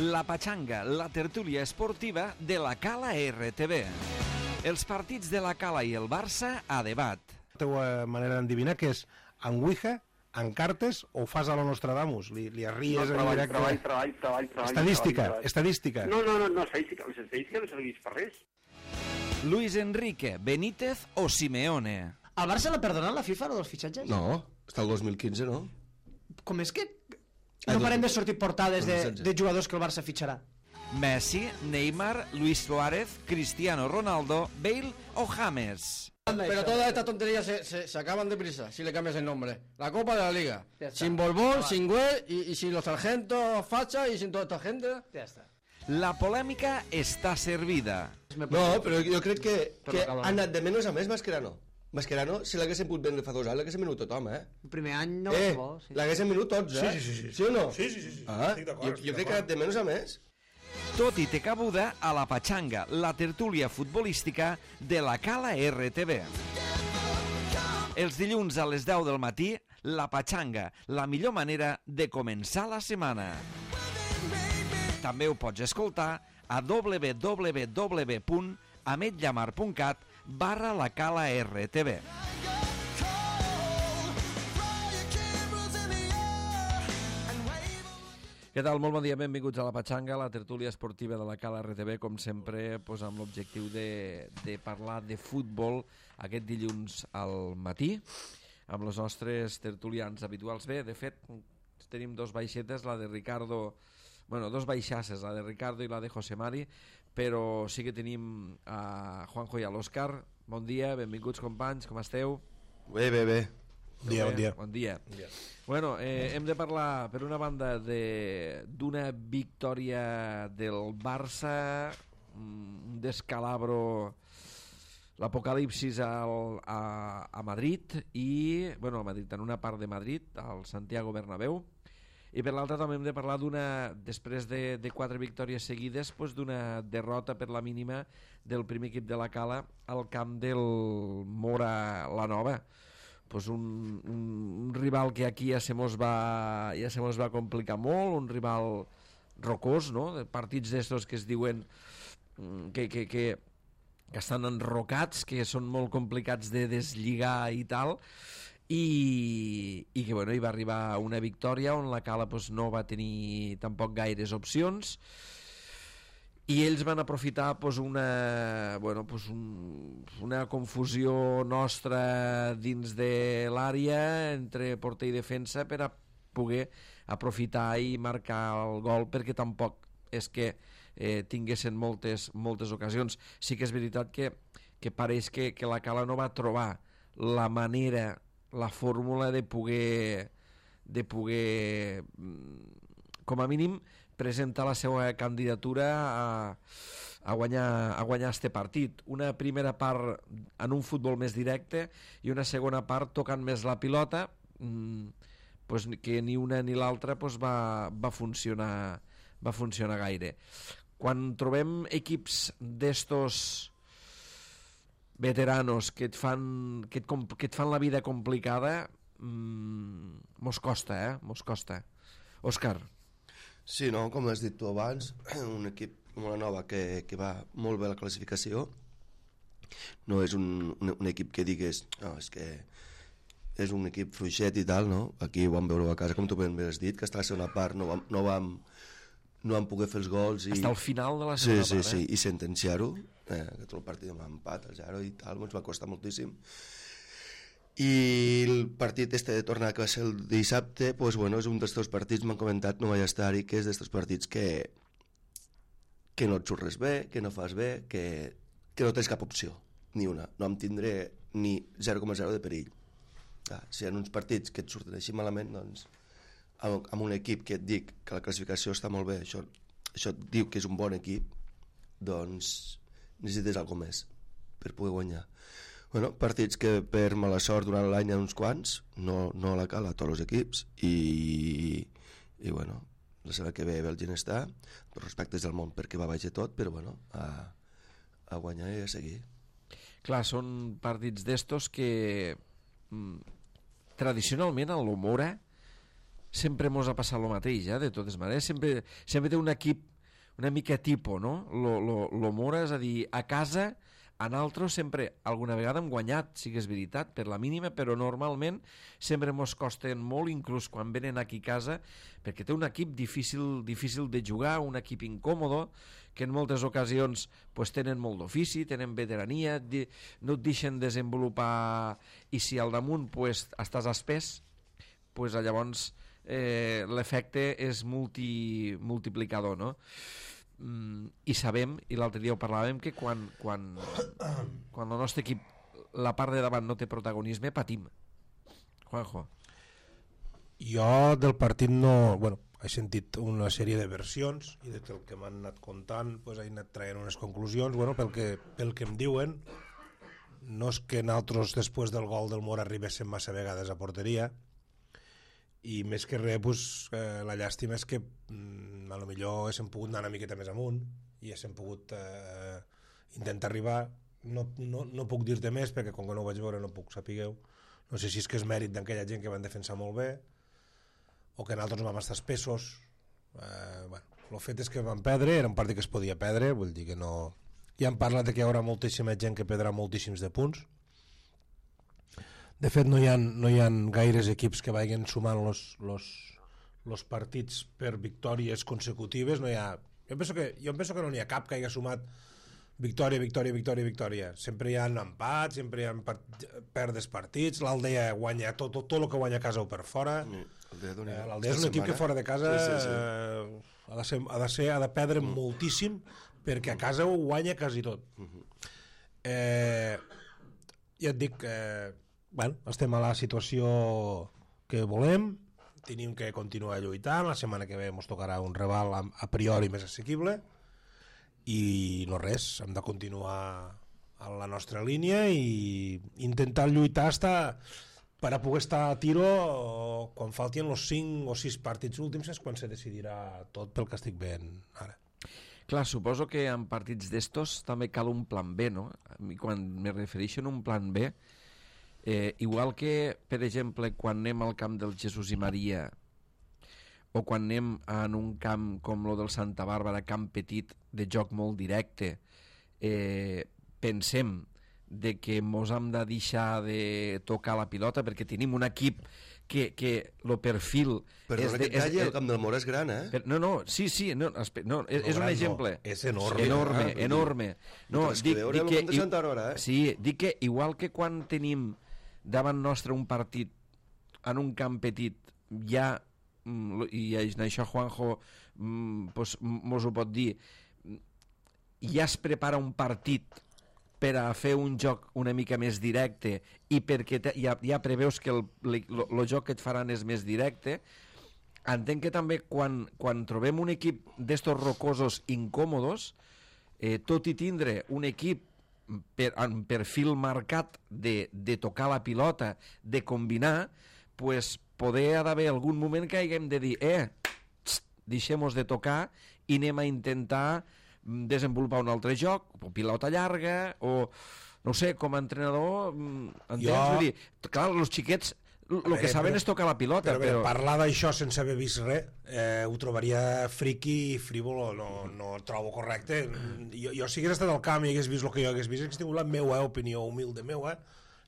La Pachanga, la tertúlia esportiva de la Cala RTV. Els partits de la Cala i el Barça a debat. La teva manera d'endevinar que és en Ouija, en cartes o fas a lo Nostradamus? Li arries en directe? Treball. Estadística. No, estadística. Les estadístiques no serveix per res. Luis Enrique, Benítez o Simeone. Al Barça l'ha perdonat la FIFA, dels fitxatges? No, està el 2015, no? Com és que no parem de sortir portades de jugadors que el Barça fitxarà? Messi, Neymar, Luis Suárez, Cristiano Ronaldo, Bale o James. Pero todas estas tonterías se acaban deprisa si le cambias el nombre. La Copa de la Liga. Sin Borbón, sin Güell y sin los sargentos facha y sin toda esta gente. Ja està. La polèmica està servida. No, però jo crec que ha anat de menys a més Mascherano. Mascherano, si l'haguessin pogut vendre fa 2 anys, l'haguessin venut tothom, El primer any no va bo. Sí. L'haguessin venut tots, Sí. Sí o no? Sí. Jo crec que ha anat de menys a més. Tot i té cabuda a la Pachanga, la tertúlia futbolística de la Cala RTV. Els dilluns a les 10 del matí, la Pachanga, la millor manera de començar la setmana. També ho pots escoltar a www.ametllamar.cat/la Cala RTV. Què tal? Molt bon dia, benvinguts a la Pachanga, la tertúlia esportiva de la Cala RTV, com sempre, amb l'objectiu de parlar de futbol aquest dilluns al matí, amb els nostres tertulians habituals. Bé, de fet, tenim dos baixetes, la de Ricardo, dos baixasses, la de Ricardo i la de José Mari, però sí que tenim a Juanjo i a l'Òscar. Bon dia, benvinguts companys, com esteu? Bé. Bon dia. Bueno, hem de parlar, per una banda, d'una victòria del Barça, un descalabro, l'apocalipsis a Madrid, i, a Madrid, en una part de Madrid, al Santiago Bernabéu, i per l'altra també hem de parlar després de 4 victòries seguides, d'una derrota per la mínima del primer equip de la Cala al camp del Mora la Nova. Un rival que aquí ja se mos va complicar molt, un rival rocós, no? De partits d'estos que es diuen que estan enrocats, que són molt complicats de deslligar i tal, i que hi va arribar una victòria on la Cala no va tenir tampoc gaires opcions, i ells van aprofitar una confusió nostra dins de l'àrea entre porter i defensa per a poder aprofitar i marcar el gol, perquè tampoc és que tinguessin moltes ocasions. Sí que és veritat que pareix que la Cala no va trobar la manera, la fórmula de poder com a mínim presentar la seva candidatura a guanyar este partit. Una primera part en un futbol més directe i una segona part tocant més la pilota, que ni una ni l'altra va funcionar gaire. Quan trobem equips d'estos veteranos que et fan la vida complicada, mos costa. Òscar. Sí, no, com has dit tu abans, un equip com la Nova que va molt bé a la classificació, no és un equip que digues és que és un equip fluixet i tal, no? Aquí ho vam veure a casa, com tu ben has dit, que està a la segona part no vam poder fer els gols i... Hasta el final de la segona part, Sí, i sentenciar-ho, que tot el partit amb empat al 0 i tal, ens va costar moltíssim. I el partit de tornar, que va ser el dissabte, és un dels teus partits, m'han comentat, no vaig estar-hi, que és dels partits que no et surt res bé, que no fas bé, que no tens cap opció, ni una. No em tindré ni 0,0 de perill. Si hi ha uns partits que et surten així malament, doncs amb un equip que et dic que la classificació està molt bé, això et diu que és un bon equip, doncs necessites alguna més per poder guanyar. Partits que per mala sort durant l'any hi ha uns quants, no a la Cala, a tots els equips, i la setmana que ve Bèlgia està, per respectes del món perquè va baix tot, però a guanyar i a seguir. Clar, són partits d'estos que tradicionalment en l'Omora sempre mos ha passat el mateix, de totes maneres. Sempre té un equip una mica tipo, no? Lo Mora, és a dir, a casa, a nosaltres sempre, alguna vegada hem guanyat, sí que és veritat, per la mínima, però normalment sempre mos costen molt, inclús quan venen aquí a casa, perquè té un equip difícil de jugar, un equip incòmodo, que en moltes ocasions pues, tenen molt d'ofici, tenen veterania, no et deixen desenvolupar, i si al damunt pues, estàs espès, pues, llavors l'efecte és multiplicador, no? I sabem, i l'altre dia ho parlàvem, que quan el nostre equip la part de davant no té protagonisme, patim. Juanjo. Jo del partit no... Bueno, he sentit una sèrie de versions i del que m'han anat contant pues, he anat traient unes conclusions. Bueno, pel que em diuen, no és que nosaltres després del gol del Mora arribéssim massa vegades a porteria, i més que res pues, la llàstima és que a lo millor haguéssim pogut anar una miqueta més amunt i haguéssim pogut intentar arribar. No puc dir-te més perquè com que no ho vaig veure no puc sapigueu. No sé si és que és mèrit d'aquella gent que van defensar molt bé o que nosaltres vam estar espessos. Bueno, el fet és que vam perdre, era un partit que es podia perdre, vull dir que no... Ja han parlat de que hi haurà moltíssima gent que perdrà moltíssims de punts. De fet, no hi ha gaires equips que vagin sumant los partits per victòries consecutives. No hi ha... Jo penso que no n'hi ha cap que hagi sumat victòria. Sempre hi ha empats, sempre hi ha perdes partits. L'Aldea guanya tot el que guanya a casa o per fora. L'Aldea és un equip que fora de casa ha de perdre moltíssim perquè a casa ho guanya quasi tot. Ja et dic que bueno, estem a la situació que volem, tenim que continuar lluitant, la setmana que ve ens tocarà un rival a priori més assequible i no res, hem de continuar a la nostra línia i intentar lluitar per a poder estar a tiro quan faltin els 5 o 6 partits últims és quan se decidirà tot pel que estic veient ara. Clar, suposo que en partits d'estos també cal un plan B, no? Quan me refereixo a un plan B, igual que, per exemple, quan anem al camp del Jesús i Maria o quan anem en un camp com el del Santa Bàrbara, camp petit, de joc molt directe, pensem de que mos hem de deixar de tocar la pilota perquè tenim un equip que el perfil... Perdona que et talli, el camp del Mora és gran, eh? Sí, és un exemple. És enorme. Enorme. No, dic que Santa Aurora, eh? Sí, dic que igual que quan tenim davant nostre un partit en un camp petit, ja, i en això Juanjo pues, mos ho pot dir, ja es prepara un partit per a fer un joc una mica més directe i perquè ja preveus que el joc que et faran és més directe, entenc que també quan trobem un equip d'estos rocosos incòmodos, tot i tindre un equip amb perfil marcat de tocar la pilota, de combinar, pues poder haver algun moment que haguem de dir deixem-nos de tocar i anem a intentar desenvolupar un altre joc, o pilota llarga, o no sé, com a entrenador entens? Vull dir, clar, els xiquets el que saben és tocar la pilota, però parlar d'això sense haver vist res ho trobaria friqui i frívol, no ho trobo correcte. Jo si hagués estat al camp i hagués vist el que jo hagués vist, hagués tingut la meva opinió humilde meva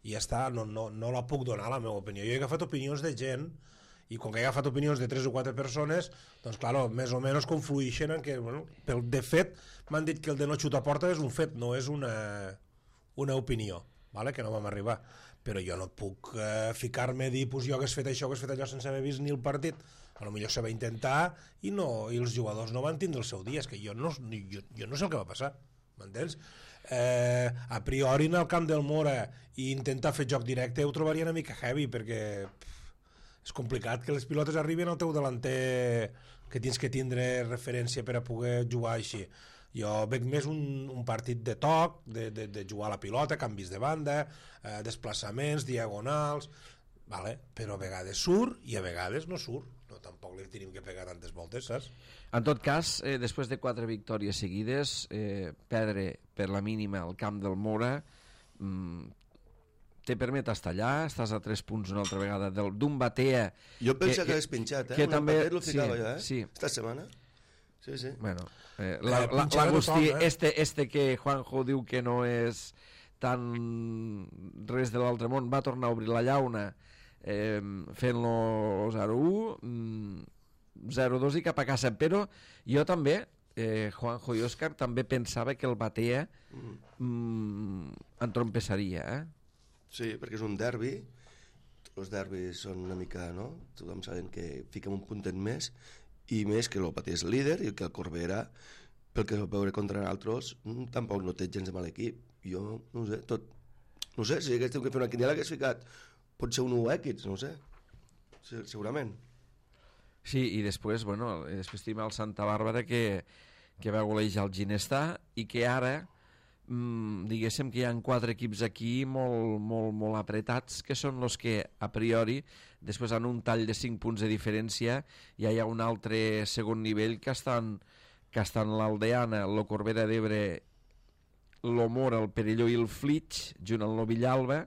i ja està, no la puc donar la meva opinió. Jo he agafat opinions de gent i com que he agafat opinions de 3 o 4 persones, doncs clar, més o menys confluïxen en que, bueno, de fet m'han dit que el de no xutar a porta és un fet, no és una opinió, vale? Que no vam arribar, però jo no puc ficar-me a dir pues jo hagués fet això, hagués fet allò sense haver vist ni el partit. A lo millor se va intentar i els jugadors no van tindre el seu dia, és que jo no sé el que va passar, m'entens? A priori en el camp del Mora i intentar fer joc directe ho trobaria una mica heavy perquè és complicat que les pilotes arribin al teu delanter que tens que tindre referència per a poder jugar així. Jo veig més un partit de toc, de jugar a la pilota, canvis de banda, desplaçaments, diagonals, vale? Però a vegades surt i a vegades no surt. No, tampoc li tenim que pegar tantes voltes, saps? En tot cas, després de 4 victòries seguides, perdre per la mínima al camp del Mora te permet estar allà, estàs a 3 punts una altra vegada d'un Batea... Jo penso que l'has pinxat, que un també empatet lo ficava jo, sí. Esta setmana. Sí, sí. Bueno, pinxar a l'Agustí, tothom, este que Juanjo diu que no és tan res de l'altre món, va tornar a obrir la llauna fent-lo 0-1, 0-2 i cap a casa, però jo també, Juanjo i Òscar, també pensava que el Batea entrompessaria, Sí, perquè és un derbi, els derbis són una mica, no? Tothom saben que fiquem un puntet més, i més que el Batea és líder i que el Corbera, pel que es va veure contra nosaltres, tampoc no té gens de mal equip. Jo, no sé, no sé, si hagués tingut que fer una quiniela hagués ficat potser un 1X, no sé, segurament. Sí, i després, bueno, després tenim el Santa Bàrbara que va golejar el Ginestà i que ara diguéssim que hi ha 4 equips aquí molt apretats, que són els que a priori després en un tall de 5 punts de diferència ja hi ha un altre segon nivell que estan l'Aldeana, el Corbera d'Ebre, l'Omora, el Perelló i el Flix junt al Novillalba,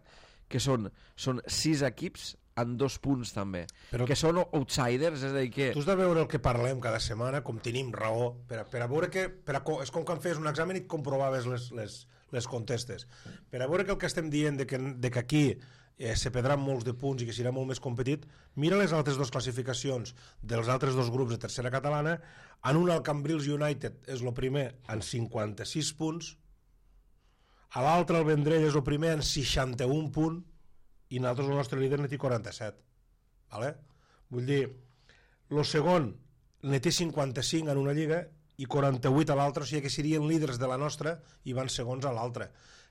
que són 6 equips en 2 punts també, però que són outsiders, és a dir que... Tu has de veure el que parlem cada setmana, com tenim raó, per a veure que... és com quan fes un examen i comprovaves les contestes. Per a veure que el que estem dient de que aquí se perdran molts de punts i que serà molt més competit, mira les altres 2 classificacions dels altres 2 grups de tercera catalana. En un, el Cambrils United és el primer en 56 punts, a l'altre, el Vendrell, és el primer en 61 punts, i nosaltres el nostre líder ne té 47, vale? Vull dir, el segon ne té 55 en una lliga i 48 a l'altra, o sigui que serien líders de la nostra i van segons a l'altra.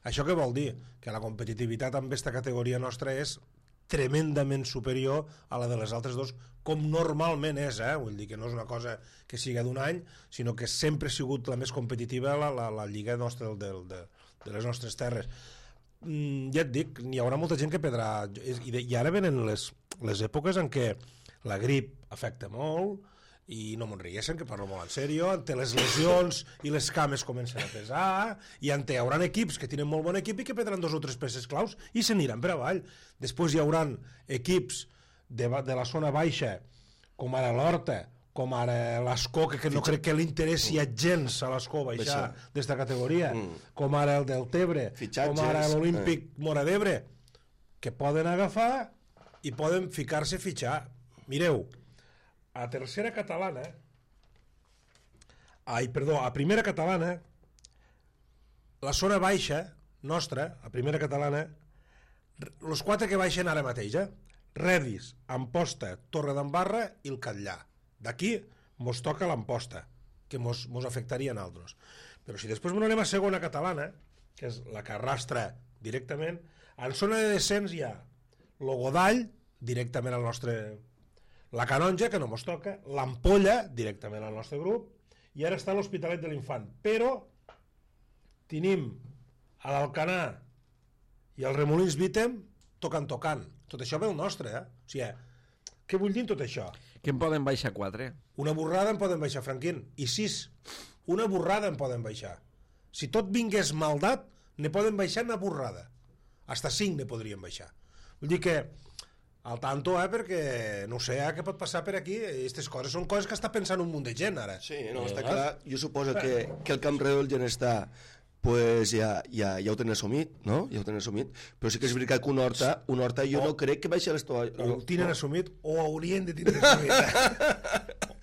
Això què vol dir? Que la competitivitat amb aquesta categoria nostra és tremendament superior a la de les altres 2, com normalment és, vull dir que no és una cosa que sigui d'un any, sinó que sempre ha sigut la més competitiva la lliga nostra de les nostres terres. Ja et dic, hi haurà molta gent que perdrà, i ara venen les èpoques en què la grip afecta molt, i no me'n riguessin, que parlo molt en sèrio, ante les lesions i les cames comencen a pesar, i ante hi haurà equips que tenen molt bon equip i que perdran 2 o 3 peces claus i se n'aniran per avall. Després hi haurà equips de la zona baixa, com ara l'Horta, com ara l'Escó, que no crec que li interessi a gens a l'Escó baixar d'esta categoria, com ara el del Tebre, com ara l'Olímpic Mora d'Ebre, que poden agafar i poden ficar-se a fitxar. Mireu, a tercera catalana, a primera catalana, la zona baixa nostra, a primera catalana, els 4 que baixen ara mateix, Redis, Amposta, Torredembarra i el Catllà. D'aquí mos toca l'Amposta, que mos afectaria a nosaltres. Però si després anem a segona catalana, que és la que arrastra directament, en zona de descens hi ha el Godall, directament al nostre... la Canonja, que no mos toca, l'Ampolla, directament al nostre grup, i ara està l'Hospitalet de l'Infant. Però tenim a l'Alcanar i el Remolins Vítem tocant. Tot això ve el nostre, O sigui, què vull dir tot això? Que en poden baixar 4. Una borrada en poden baixar, Franquín. I 6. Una borrada en poden baixar. Si tot vingués maldat, ne poden baixar una borrada. Hasta 5 ne podrien baixar. Vull dir que, al tanto, perquè no sé què pot passar per aquí. Aquestes coses són coses que està pensant un munt de gent, ara. Sí, no, està clar. Jo suposo que el Camp Redó del Ginestà pues ja ho tenen assumit, no? Ja ho tenen assumit, però sí que és veritat que un Horta jo no crec que baixi a l'estoa. Ho tenen assumit o haurien de tindre assumit.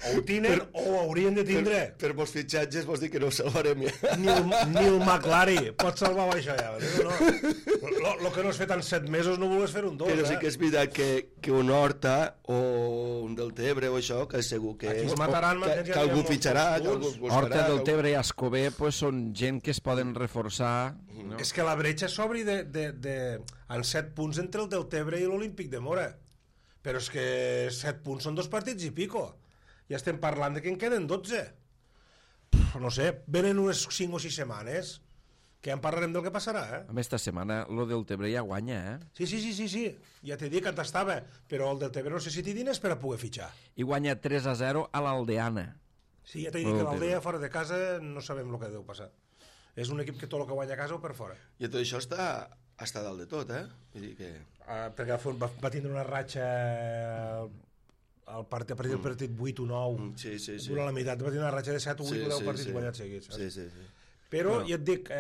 O ho tenen o ho haurien de tindre. Per molts fitxatges vols dir que no ho salvarem ja. Ni el McLaren pot salvar això ja. No. Lo que no has fet en 7 mesos no vols fer un 2. Però sí que és veritat que un Horta o un del Tebre o això, que segur que... Aquí es mataran, que algú fitxarà, que algú buscarà. Horta, del Tebre i Escober pues, són gent que es poden reforçar. No? És que la bretxa s'obri en 7 punts entre el del Tebre i l'Olímpic de Mora. Però és que 7 punts són 2 partits i pico. Ja estem parlant de que en queden 12. No sé, venen unes 5 o 6 setmanes que ja en parlarem del que passarà, A més, esta setmana lo del Tebre ja guanya, Sí. Ja t'he dit que t'estava, però el del Tebre no sé si té diners per a poder fitxar. I guanya 3-0 a l'Aldeana. Sí, ja t'he dit que l'Aldea fora de casa no sabem el que deu passar. És un equip que tot el que guanya a casa o per fora. I tot això està dalt de tot, Vull dir que... Perquè va tindre una ratxa a partir del partit 8 o 9, durant la meitat, va tenir una ratxa de 7 o 8 o 10 partits guanyats seguits. Sí. Però, ja et dic,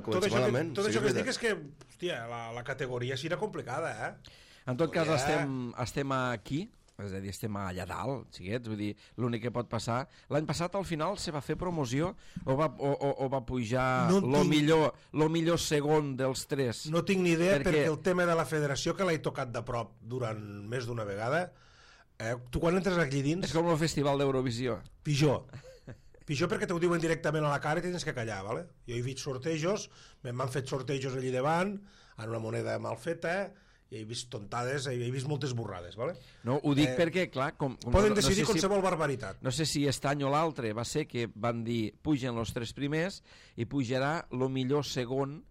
tot això que es dic és que, hòstia, la categoria sí era complicada, En tot cas, estem aquí, és a dir, estem allà dalt, xiquets, vull dir, l'únic que pot passar... L'any passat, al final, se va fer promoció o va pujar lo millor segon dels 3? No tinc ni idea, perquè el tema de la federació, que l'he tocat de prop durant més d'una vegada, tu quan entres aquí dins... És com el festival d'Eurovisió. Pitjor perquè t'ho diuen directament a la cara i tens que callar, ¿vale? Jo he vist sortejos, m'han fet sortejos allí davant, en una moneda mal feta, i he vist tontades, he vist moltes borrades, ¿vale? No, ho dic perquè, clar... Poden decidir qualsevol barbaritat. No sé si aquest any o l'altre va ser que van dir pugen els 3 primers i pujarà el millor segon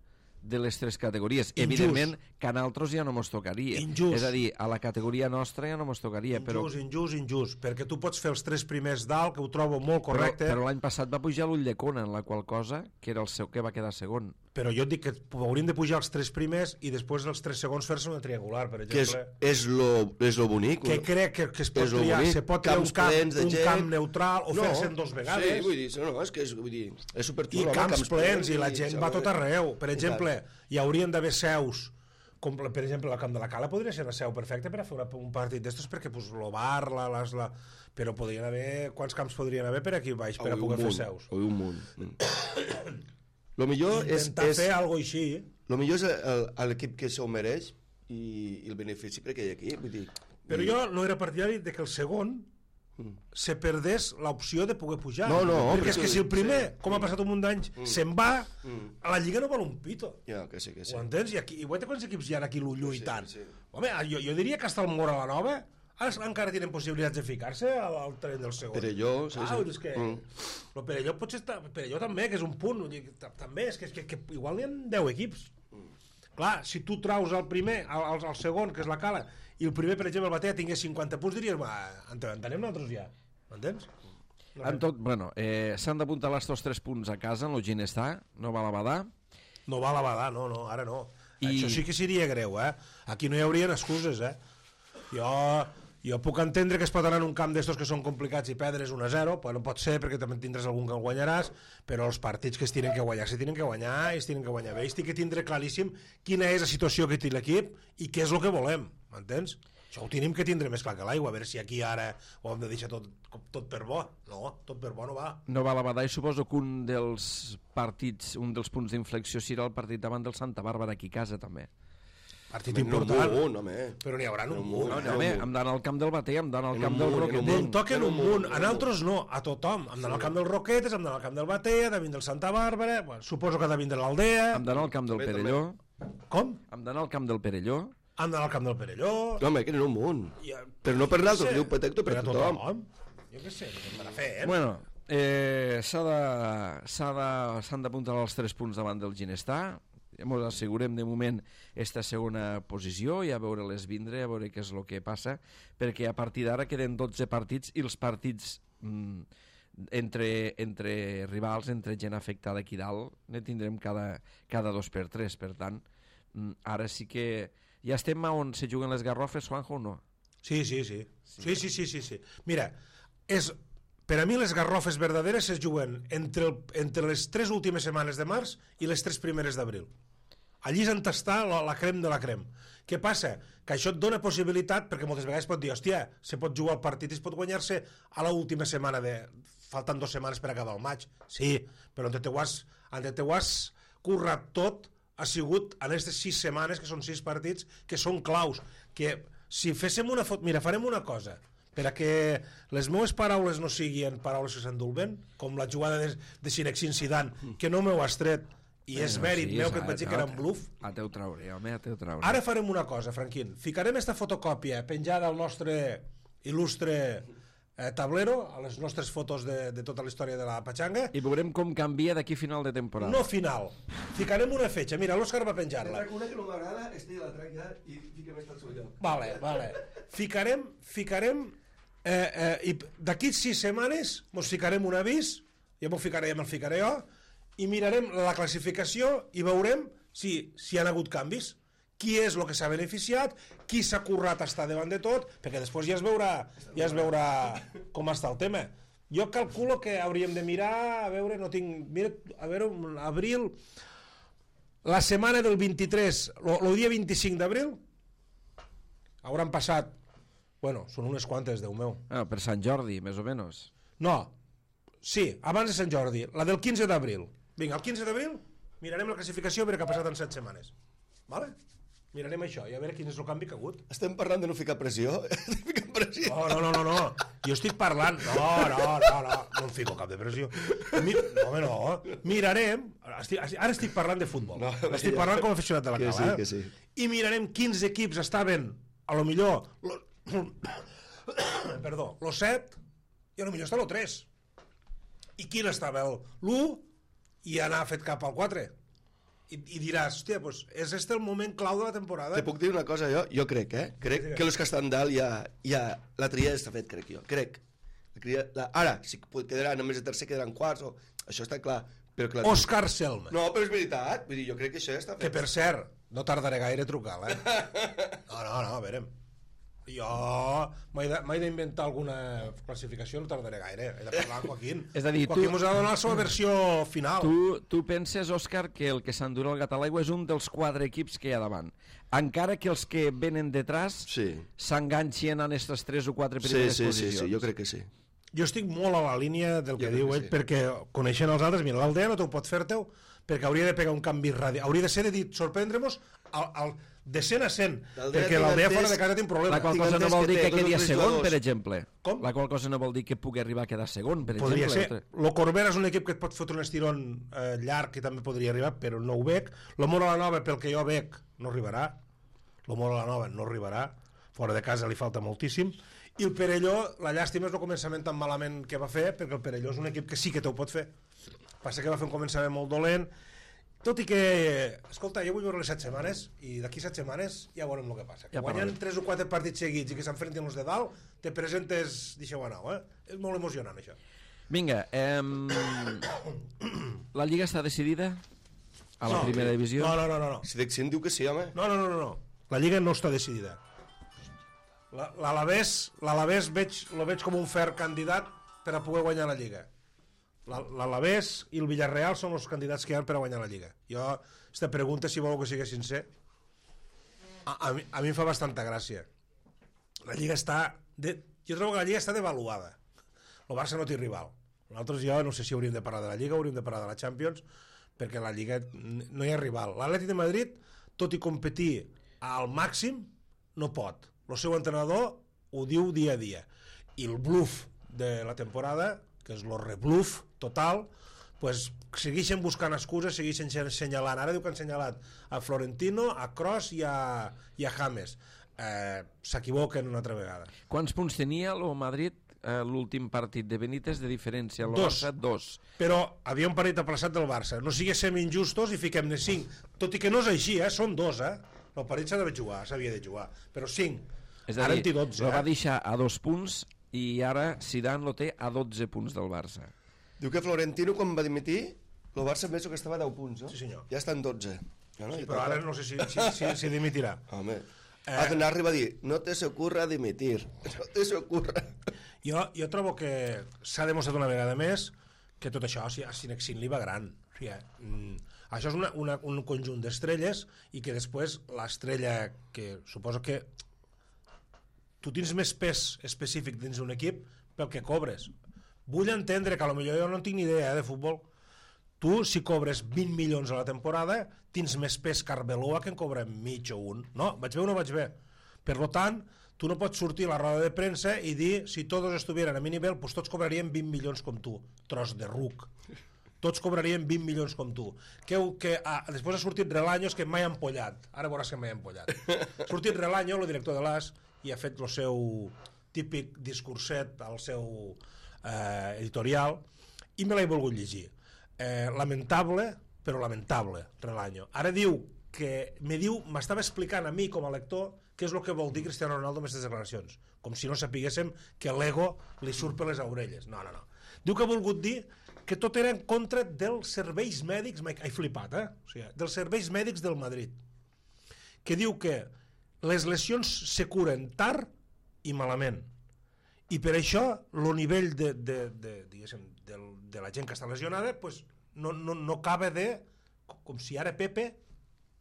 de les 3 categories. Injust. Evidentment que a nosaltres ja no mos tocaria. Injust. És a dir, a la categoria nostra ja no mos tocaria. Injust, perquè tu pots fer els 3 primers dalt, que ho trobo molt correcte. Però l'any passat va pujar l'Ulldecona, en la qual cosa, que era el seu que va quedar segon. Però jo et dic que hauríem de pujar els 3 primers i després dels 3 segons fer-se una triangular, per exemple. Que és lo bonic. Que crec que es pot triar. Se pot triar un camp neutral o fer-se en 2 vegades. Sí, vull dir, és superxulo. I camps plens, i la gent va tot arreu. Per exemple, hi haurien d'haver seus, com per exemple el Camp de la Cala podria ser una seu perfecta per a fer un partit d'estos, perquè el bar, però podrien haver... Quants camps podrien haver per aquí baix per a poder fer seus? Un munt. Lo millor intentar fer alguna cosa així. Lo millor és l'equip que s'ho mereix i el benefici perquè hi ha aquí. Vull dir, però jo no era partidari de que el segon se perdés l'opció de poder pujar. No, perquè és que si el primer, com ha passat un munt d'anys, se'n va, a la Lliga no val un pito. Ja, que sí. Ho entens? I guaita quants equips hi ha aquí lluitant. Home, jo diria que hasta el Mora la Nova encara tenen possibilitats de ficar-se al tren del segon. Perelló, és que el Perelló potser està... Perelló també, que és un punt. També, és que igual n'hi ha 10 equips. Clar, si tu traus el primer, el segon, que és la Cala, i el primer, per exemple, el Batea tingués 50 punts, diries, entenem nosaltres ja. M'entens? En tot, bueno, s'han d'apuntar estos 3 punts a casa, en el Ginestar, no va la Badà. No va la Badà, no, ara no. Això sí que seria greu, Aquí no hi haurien excuses, Jo puc entendre que es pot anar en un camp d'estos que són complicats i perdre's 1-0, però no pot ser perquè també tindràs algun que el guanyaràs, però els partits que es tenen que guanyar i es tenen que guanyar bé. I estic que tindre claríssim quina és la situació que té l'equip i què és el que volem, m'entens? Això ho tenim que tindre més clar que l'aigua, a veure si aquí ara ho hem de deixar tot per bo. No, tot per bo no va. No va la Badà i suposo que un dels partits, un dels punts d'inflexió serà el partit davant del Santa Bàrbara aquí a casa també. Partit important, però n'hi haurà un munt. Hem d'anar al camp del Bater, hem d'anar al camp del Roquetes. En toquen un munt, a nosaltres no, a tothom. Hem d'anar al camp del Roquetes, hem d'anar al camp del Bater, hem d'anar al Santa Bàrbara, suposo que hem d'anar a l'Aldea. Hem d'anar al camp del Perelló. Com? Hem d'anar al camp del Perelló. Hem d'anar al camp del Perelló. Home, que n'hi ha un munt. Però no per l'altre, diu Petecto, per tothom. Jo què sé, per a fer, Bueno, s'han d'apuntar els 3 punts davant del Ginestar. Ens assegurem de moment esta segona posició i a veure les vindre, a veure què és el que passa, perquè a partir d'ara queden 12 partits i els partits entre rivals, entre gent afectada aquí dalt, ne tindrem cada 2x3, per tant, ara sí que ja estem on se juguen les garrofes, Juanjo, o no? Sí. Mira, per a mi les garrofes verdaderes es juguen entre les 3 últimes setmanes de març i les 3 primeres d'abril. Allí és on està la crem de la crem. Què passa? Que això et dona possibilitat, perquè moltes vegades pot dir, hòstia, se pot jugar el partit i es pot guanyar-se a l'última setmana, falten 2 setmanes per acabar el maig. Sí, però on te ho has currat tot ha sigut en aquestes 6 setmanes, que són 6 partits, que són claus. Que si féssim una foto... Mira, farem una cosa, per a que les meves paraules no siguin paraules que s'endulben, com la jugada de Cinexin Zidane, que no m'ho has tret, i és mèrit meu que et vaig dir que era un bluff. A teu trauré, home, a teu trauré. Ara farem una cosa, Franquín. Ficarem esta fotocòpia penjada al nostre il·lustre tablero, a les nostres fotos de tota la història de la Pachanga. I veurem com canvia d'aquí final de temporada. No final. Ficarem una fetge. Mira, l'Òscar va penjar-la. Una que no m'agrada, la trac ja i fiquem esta al seu lloc. Vale. Ficarem i d'aquí 6 setmanes mos ficarem un avís, ja me'l ficaré jo, i mirarem la classificació i veurem si hi ha hagut canvis. qui és el que s'ha beneficiat, qui s'ha currat estar davant de tot, perquè després ja es veurà com està el tema. Jo calculo que hauríem de mirar, a veure, no tinc... Mira, a veure, abril... La setmana del 23, el dia 25 d'abril, hauran passat... Bueno, són unes quantes, Déu meu. Per Sant Jordi, més o menys. No, sí, abans de Sant Jordi, la del 15 d'abril. Vinga, el 15 d'abril mirarem la classificació a veure què ha passat en 7 setmanes. Vale? Mirarem això i a veure quin és el canvi que ha hagut. Estem parlant de no ficar pressió? No. Jo estic parlant... No em fico cap de pressió. No. Mirarem... Ara estic parlant de futbol. Estic parlant com a aficionat de la cala. Que sí. I mirarem quins equips estaven, a lo millor... Perdó, el 7 i a lo millor està el 3. I quin estava l'1 i anar fet cap al 4. I diràs, hòstia, pues és este el moment clau de la temporada. Te puc dir una cosa, jo crec, crec que els que estan dalt ja la tria està fet, crec jo, crec. Ara, si quedaran només de tercer, quedaran quarts, això està clar. Òscar Selma. No, però és veritat, vull dir, jo crec que això ja està fet. Que per cert, no tardaré gaire a trucar-la, No, a veure. Jo m'he d'inventar alguna classificació, no tardaré gaire. He de parlar amb Joaquín. És a dir, Joaquín mos ha de donar la seva versió final. Tu penses, Òscar, que el que s'endurà el gat a l'aigua és un dels 4 equips que hi ha davant. Encara que els que venen detrás s'enganxin en aquestes 3 o 4 primeres posicions. Sí, jo crec que sí. Jo estic molt a la línia del que diu ell, perquè coneixent els altres, mira, l'Aldea no t'ho pot fer-te-ho, perquè hauria de pegar un canvi radial. Hauria de ser de dir, sorprendre-nos de 100 a 100, perquè l'Aldea fora de casa té un problema. La qual cosa no vol dir que quedi a segon, per exemple. Com? La qual cosa no vol dir que pugui arribar a quedar segon, per exemple. Podria ser. Lo Corbera és un equip que et pot fotre un estirón llarg i també podria arribar, però no ho veig. Lo Mora la Nova, pel que jo veig, no arribarà. Lo Mora la Nova no arribarà. Fora de casa li falta moltíssim. I el Perelló, la llàstima és el començament tan malament que va fer, perquè el Perelló és un equip que sí que t'ho pot fer. Passa que va fer un començament molt dolent, tot i que, escolta, jo vull veure les 7 setmanes i d'aquí 7 setmanes ja veurem el que passa. Que guanyant 3 o 4 partits seguits i que s'enfrenten els de dalt, te presentes, deixeu anar, És molt emocionant, això. Vinga, la Lliga està decidida a la primera divisió? No. Si Dexin diu que sí, home. No. La Lliga no està decidida. L'Alavés lo veig com un fer candidat per a poder guanyar la Lliga. L'Alavés i el Villarreal són els candidats que hi ha per a guanyar la Lliga. Jo, aquesta pregunta, si voleu que sigui sincer, a mi em fa bastanta gràcia. La Lliga jo trobo que la Lliga està devaluada. El Barça no té rival. Nosaltres jo no sé si hauríem de parlar de la Lliga o hauríem de parlar de la Champions, perquè la Lliga no hi ha rival. L'Atlètic de Madrid, tot i competir al màxim, no pot. El seu entrenador ho diu dia a dia. I el bluff de la temporada, que és el rebluff total, pues segueixen buscant excuses, segueixen senyalant. Ara diu que han senyalat a Florentino, a Kroos i a James. S'equivoquen una altra vegada. Quants punts tenia el Madrid l'últim partit de Benítez de diferència? El 2. Barça, 2. Però havia un partit aplaçat del Barça. No siguéssim injustos i fiquem-ne 5. Tot i que no és així, són 2, El partit s'havia de jugar, però 5. És a dir, el va deixar a 2 punts i ara Zidane lo té a 12 punts del Barça. Diu que Florentino, quan va dimitir, el Barça penso que estava a 10 punts, no? Sí, senyor. Ja estan 12. Sí, però ara no sé si dimitirà. Home, ha d'anar a arribar a dir, no te se ocurra dimitir, no te se ocurra. Jo trobo que s'ha demostrat una vegada més que tot això a Cinexin li va gran. O sigui, això és un conjunt d'estrelles i que després l'estrella, que suposo que tu tens més pes específic dins d'un equip pel que cobres. Vull entendre que potser jo no tinc ni idea de futbol. Tu, si cobres 20 milions a la temporada, tens més pes que Arbeloa, que en cobra mig o un. No, vaig bé o no vaig bé? Per tant, tu no pots sortir a la roda de premsa i dir, si tots estuvieran a mi nivell, pues tots cobrarien 20 milions com tu. Tros de ruc. Tots cobrarien 20 milions com tu. Després ha sortit Relaños, que mai ha empollat. Ara veuràs que mai ha empollat. Ha sortit Relaño, el director de l'AS, i ha fet el seu típic discurset al seu editorial, i me l'he volgut llegir. Lamentable, però lamentable, Relaño. Ara diu que m'estava explicant a mi com a lector què és el que vol dir Cristiano Ronaldo amb aquestes declaracions, com si no sapiguéssim que l'ego li surt per les orelles. No. Diu que ha volgut dir que tot era en contra dels serveis mèdics, he flipat, o sigui, dels serveis mèdics del Madrid, que diu que les lesions se curen tard i malament. I per això el nivell de la gent que està lesionada pues, no acaba de... Com si ara Pepe...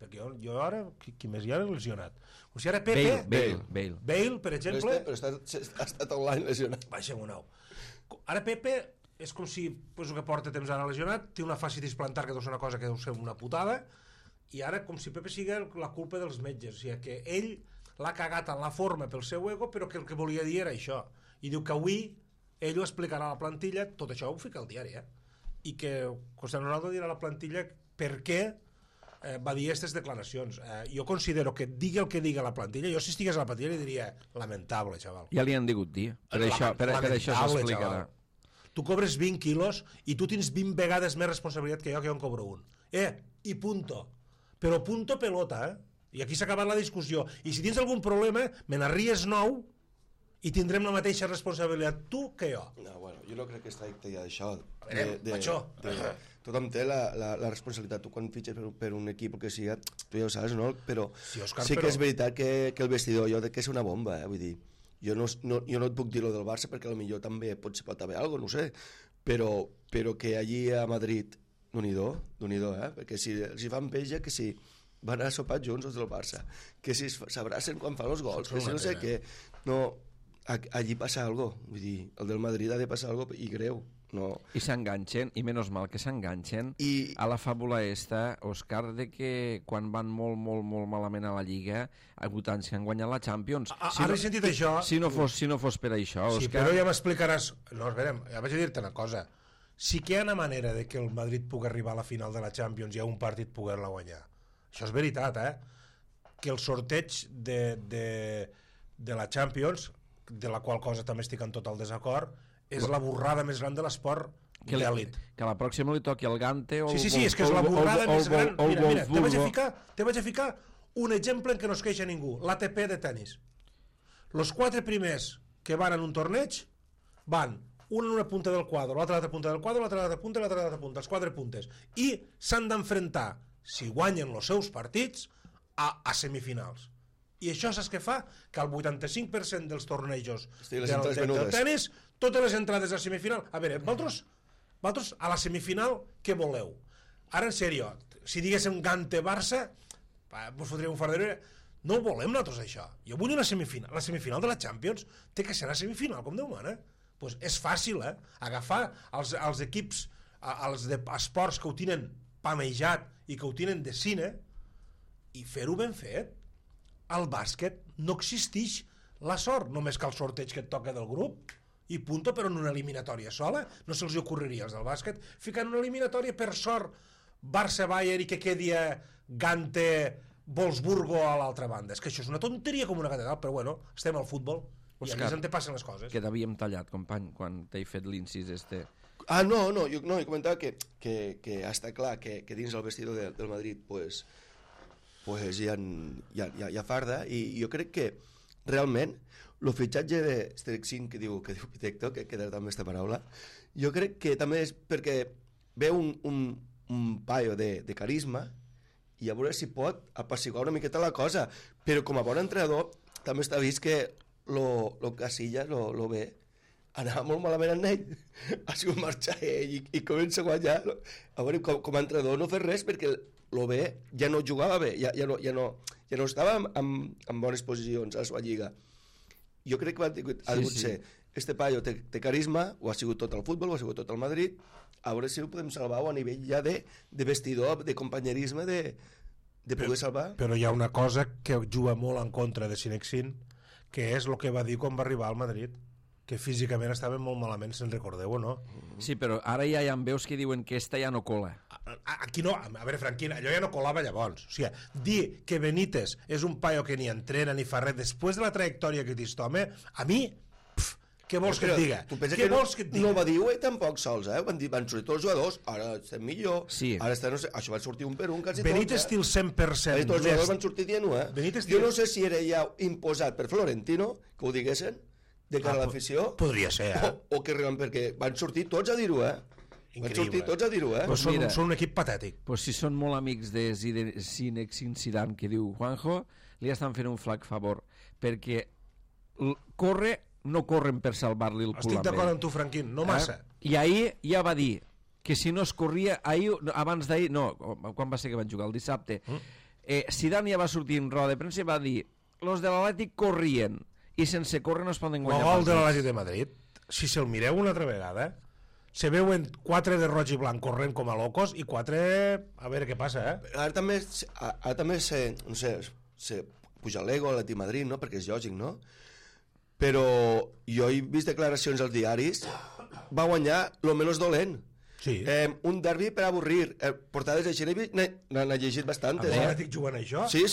Perquè jo ara... Qui més hi ha lesionat? Com si ara Pepe... Bale, per exemple... Però ha estat un any lesionat. Baixa un nou. Ara Pepe és com si pues, el que porta temps ara lesionat té una fascitis plantar que deu ser una cosa que deu ser una putada i ara com si Pepe sigui la culpa dels metges. O sigui que ell l'ha cagat en la forma pel seu ego però que el que volia dir era això. I diu que avui ell ho explicarà a la plantilla, tot això ho fica al diari, i que Cristiano Ronaldo dirà a la plantilla per què va dir aquestes declaracions. Jo considero que digui el que digui a la plantilla, jo si estigués a la plantilla li diria lamentable, xaval. Ja li han digut dir, per això s'explicarà. Tu cobres 20 quilos i tu tens 20 vegades més responsabilitat que jo en cobro un. I punto. Però punto pelota, I aquí s'ha acabat la discussió. I si tens algun problema, me n'arries 9 i tindrem la mateixa responsabilitat tu que jo. No, bueno, jo no crec que es tracti d'això. Tothom té la responsabilitat. Tu quan fitxes per un equip que siga, tu ja ho saps, no? Però sí, Òscar, sí que és veritat que el vestidor jo crec que és una bomba, vull dir, jo no et puc dir lo del Barça perquè potser també pot haver alguna cosa, no sé, però que allí a Madrid Déu-n'hi-do, perquè si els fan peja que si van a sopar junts els del Barça, que si s'abracen quan fan els gols, que si no sé què, no, allí passa algo, vull dir, el del Madrid ha de passar algo i greu. No. I s'enganxen, i menys mal que s'enganxen a la fàbula esta, Òscar, de que quan van molt malament a la Lliga, ha hagut anys que han guanyat la Champions. Ara he sentit això... Si no fos per això, Òscar... Sí, però ja m'explicaràs... No, esperem, ja vaig a dir-te una cosa. Sí que hi ha una manera de que el Madrid pugui arribar a la final de la Champions i a un partit poder-la guanyar. Això és veritat, que el sorteig de la Champions, de la qual cosa també estic en tot el desacord, és la borrada més gran de l'esport d'èlit. Que la pròxima li toqui el Gante o Sí, és que és la borrada més gran. Mira, te vaig a ficar un exemple en què no es queixa ningú, l'ATP de tennis. Los 4 primers que van en un torneig van un en una punta del quadre, l'altre a l'altra punta del quadre, l'altre a l'altra punta i l'altre a l'altra punta, els 4 puntes. I s'han d'enfrontar, si guanyen els seus partits, a semifinals. I això saps què fa? Que el 85% dels tornejos del tenis, totes les entrades a semifinal... A veure, vosaltres a la semifinal què voleu? Ara, en sèrio, si diguéssim Gante-Barça, vos fotríem un fardero... No volem nosaltres això. Jo vull una semifinal. La semifinal de la Champions té que ser una semifinal, com Déu mana. Pues és fàcil, agafar els equips, els esports que ho tenen pamejat i que ho tenen de cine i fer-ho ben fet. Al bàsquet no existeix la sort, només que el sorteig que et toca del grup i punto, però en una eliminatòria sola. No se'ls ocorreria als del bàsquet ficar en una eliminatòria per sort Barça-Bayern i que quedi Gante-Wolfsburgo a l'altra banda. És que això és una tonteria com una catedral, però bueno, estem al futbol i a més en te passen les coses. Que t'havíem tallat, company, quan t'he fet l'incís este. No, jo comentava que està clar que dins el vestidor del Madrid pues hi ha farda i jo crec que realment el fitxatge de Strexin que diu Pitecto, que queda també aquesta paraula, jo crec que també és perquè ve un paio de carisma i a veure si pot apaciguar una miqueta la cosa, però com a bon entrenador també està vist que lo Casillas, lo bé, anava molt malament en ell, ha sigut marxar ell i comença a guanyar. A veure, com a entrenador no fer res perquè lo bé ja no jugava bé, ja no estava en bones posicions a la seva lliga. Jo crec que ha degut ser este paio té carisma, ho ha sigut tot el futbol, ho ha sigut tot el Madrid, a veure si ho podem salvar a nivell ja de vestidor, de companyerisme, de poder salvar. Però hi ha una cosa que juga molt en contra de Sinexin, que és el que va dir quan va arribar al Madrid, que físicament estava molt malament, se'n recordeu o no? Sí, però ara ja hi ha veus que diuen que esta ja no cola. Aquí no, a veure, Franquín, allò ja no colava llavors. O sigui, dir que Benítez és un paio que ni entrena ni fa res, després de la trajectòria que té aquest home, a mi, què vols que et diga? Tu pensa que no va dir tampoc sols, van sortir tots els jugadors, ara estem millor, ara estem, no sé, això va sortir un per un quasi tots. Benítez té el 100%. Tots els jugadors van sortir dient-ho, Jo no sé si era ja imposat per Florentino, que ho diguessin, de cara a l'afició. Podria ser, o que realment, perquè van sortir tots a dir-ho, Van sortir tots a dir-ho, Però són un equip patètic. Pues si són molt amics de Zinedine Zidane, que diu Juanjo, li estan fent un flac favor, perquè no corren per salvar-li el cul. Estic d'acord amb tu, Franquín, no massa. I ahir ja va dir que si no es corria, abans d'ahir, no, quan va ser que van jugar? El dissabte. Zidane ja va sortir en roda de premsa i va dir los de l'Atlètic corrien i sense córrer no es poden guanyar. El gol de l'Atlètic de Madrid, si se'l mireu una altra vegada, se veuen 4 de roig i blanc corrent com a locos i 4... a veure què passa, Ara també no sé, se puja l'ego a l'Atlètic de Madrid, no? Perquè és lògic, no? Però jo he vist declaracions als diaris, va guanyar lo menys dolent. Sí. Un derbi per avorrir. Portades de Xenevi n'ha llegit bastantes. L'Atlètic jugant això? Sí.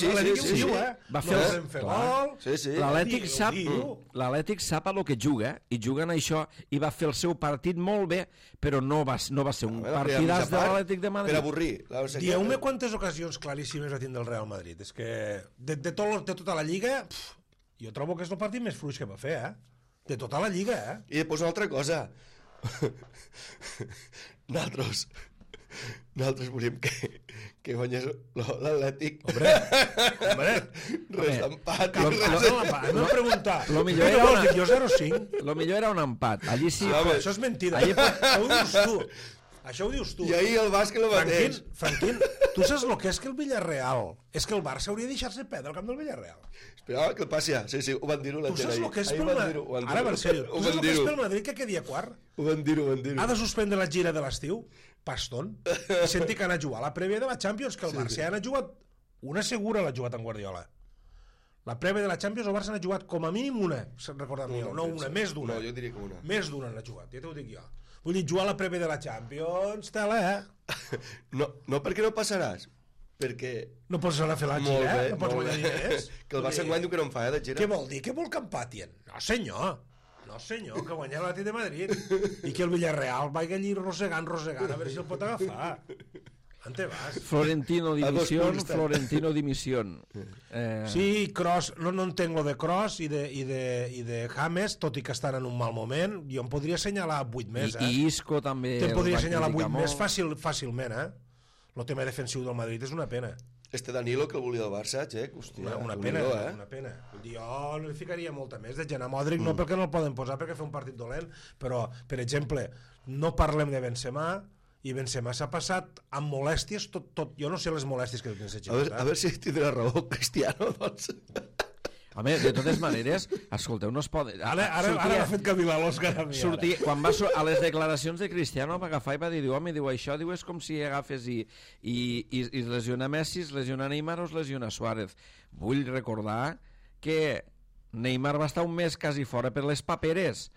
Va fer gol. Sí. L'Atlètic sap a lo que juga i juguen això i va fer el seu partit molt bé, però no va ser un partidàs de l'Atlètic de Madrid. Per avorrir. Dieu-me quantes ocasions claríssimes va tindre el Real Madrid. És que de tota la Lliga jo trobo que és el partit més fluix que va fer, de tota la Lliga, I després una altra cosa. Nosaltres volíem que guanyés l'Atlètic. Hombre. Res d'empat. No preguntar. Lo millor era una... Jo 0-5. Lo millor era un empat. Allí sí. Això és mentida. Això ho dius tu. I ahir el bàsquet lo mateix. Franquín, tu saps el que és que el Villarreal? És que el Barça hauria de deixar-se perdre al camp del Villarreal. Espera, que el passi ja. Sí, ho van dir-ho la gent ahir. Tu saps el que és pel Madrid? Ara, en sèrio. Tu saps el que és pel Madrid que quedi a quart? Ho van dir-ho. Ha de suspendre la gira de l'estiu? Paston. I senti que ha anat a jugar la prèvia de la Champions, que el Barça ha anat a jugar... Una segura l'ha jugat en Guardiola. La prèvia de la Champions el Barça n'ha jugat com a mínim una, recordant-me jo. No una, més d'una. No, jo diria que una. Més d'una n'ha jugat, ja t'ho dic jo. Vull dir, jugar la prèvia de la Champions, tela, No, perquè no passaràs. Perquè... No pots anar a fer la gira, no pots guanyar diners. Que el Barça enguany diu que no en fa, de gira. Què vol dir? Què vol que empatien? No, senyor, que guanya l'Atlètic de Madrid. I que el Villarreal vagi allí rosegant, a veure si el pot agafar. On te vas? Florentino dimisión. Sí, Kroos, no entenc lo de Kroos i de James, tot i que estan en un mal moment. Jo em podria assenyalar 8 més, I Isco també. Te'n podria assenyalar 8 més fàcilment, El tema defensiu del Madrid és una pena. Danilo, que el volia del Barça, Txec, hòstia. Una pena. Vull dir, jo no li ficaria molta més. De Jan Modric no perquè no el poden posar, perquè fa un partit dolent, però, per exemple, no parlem de Benzema, i Benzema s'ha passat amb molèsties tot. Jo no sé les molèsties que tens a veure si tindrà raó Cristiano, doncs. Home, de totes maneres, escolteu, no es pot... Ara m'ha fet cavilar l'Òscar a mi. Quan va a les declaracions de Cristiano va agafar i va dir, home, això és com si agafes i es lesiona Messi, es lesiona Neymar o es lesiona Suárez. Vull recordar que Neymar va estar un mes quasi fora per les paperes.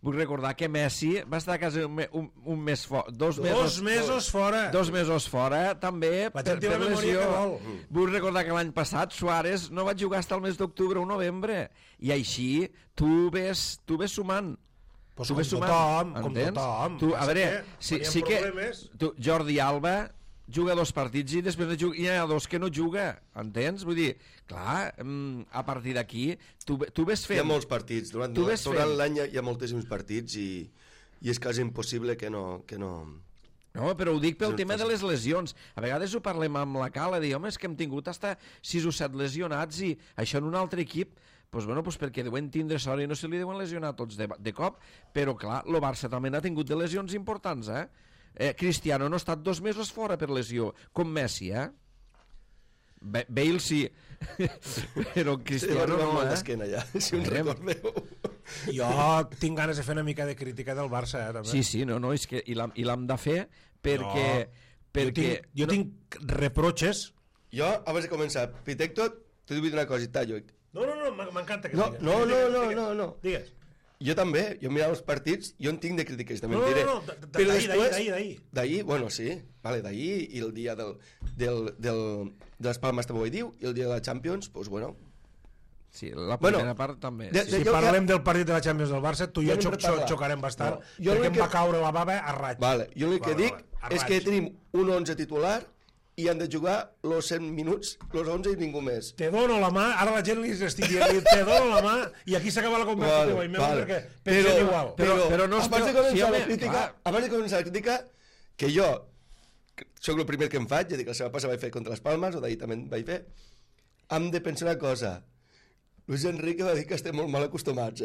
Vull recordar que Messi va estar quasi un mes fora, 2 mesos fora. 2 mesos fora, també, per lesió. Vull recordar que l'any passat Suárez no va jugar fins al mes d'octubre o novembre. I així tu ves sumant. Pues com tothom. A veure, sí que Jordi Alba juga 2 partits i després hi ha 2 que no juga, entens? Vull dir, clar, a partir d'aquí tu ves fent... Hi ha molts partits, durant l'any hi ha moltíssims partits i és quasi impossible que no... No, però ho dic pel tema de les lesions. A vegades ho parlem amb la Cala, de home, és que hem tingut hasta 6 o 7 lesionats i això en un altre equip, doncs perquè deuen tindre sort i no se li deuen lesionar tots de cop, però clar, el Barça també n'ha tingut de lesions importants, Cristiano no ha estat 2 mesos fora per lesió, com Messi, Bale sí, però Cristiano no, ja, si us recordeu. Jo tinc ganes de fer una mica de crítica del Barça, també. Sí, no, és que i l'hem de fer perquè... Jo tinc reproches. Jo, abans de començar, Pitecto, t'he dit una cosita, jo. No, m'encanta que digues. No. Digues. Jo també, jo mirava els partits, jo en tinc de crítiques, també en diré. D'ahir. Bueno, sí, vale, d'ahir, i el dia de les Palmes també ho diu, i el dia de la Champions, doncs bueno. Sí, la primera part també. Si parlem del partit de la Champions del Barça, tu i jo xocarem bastant, perquè em va caure la bava a raig. Vale, jo el que dic és que tenim un 11 titular i han de jugar los 100 minuts, los 11 i ningú més. Te dono la mà, ara la gent li estic dient, te dono la mà, i aquí s'acaba la conversa teva, perquè pensem igual. Però no abans de començar la crítica, que jo sóc el primer que em faig, ja dic, la setmana passada vaig fer contra les Palmes, o d'ahir també vaig fer, hem de pensar una cosa. Luis Enrique va dir que estem molt mal acostumats,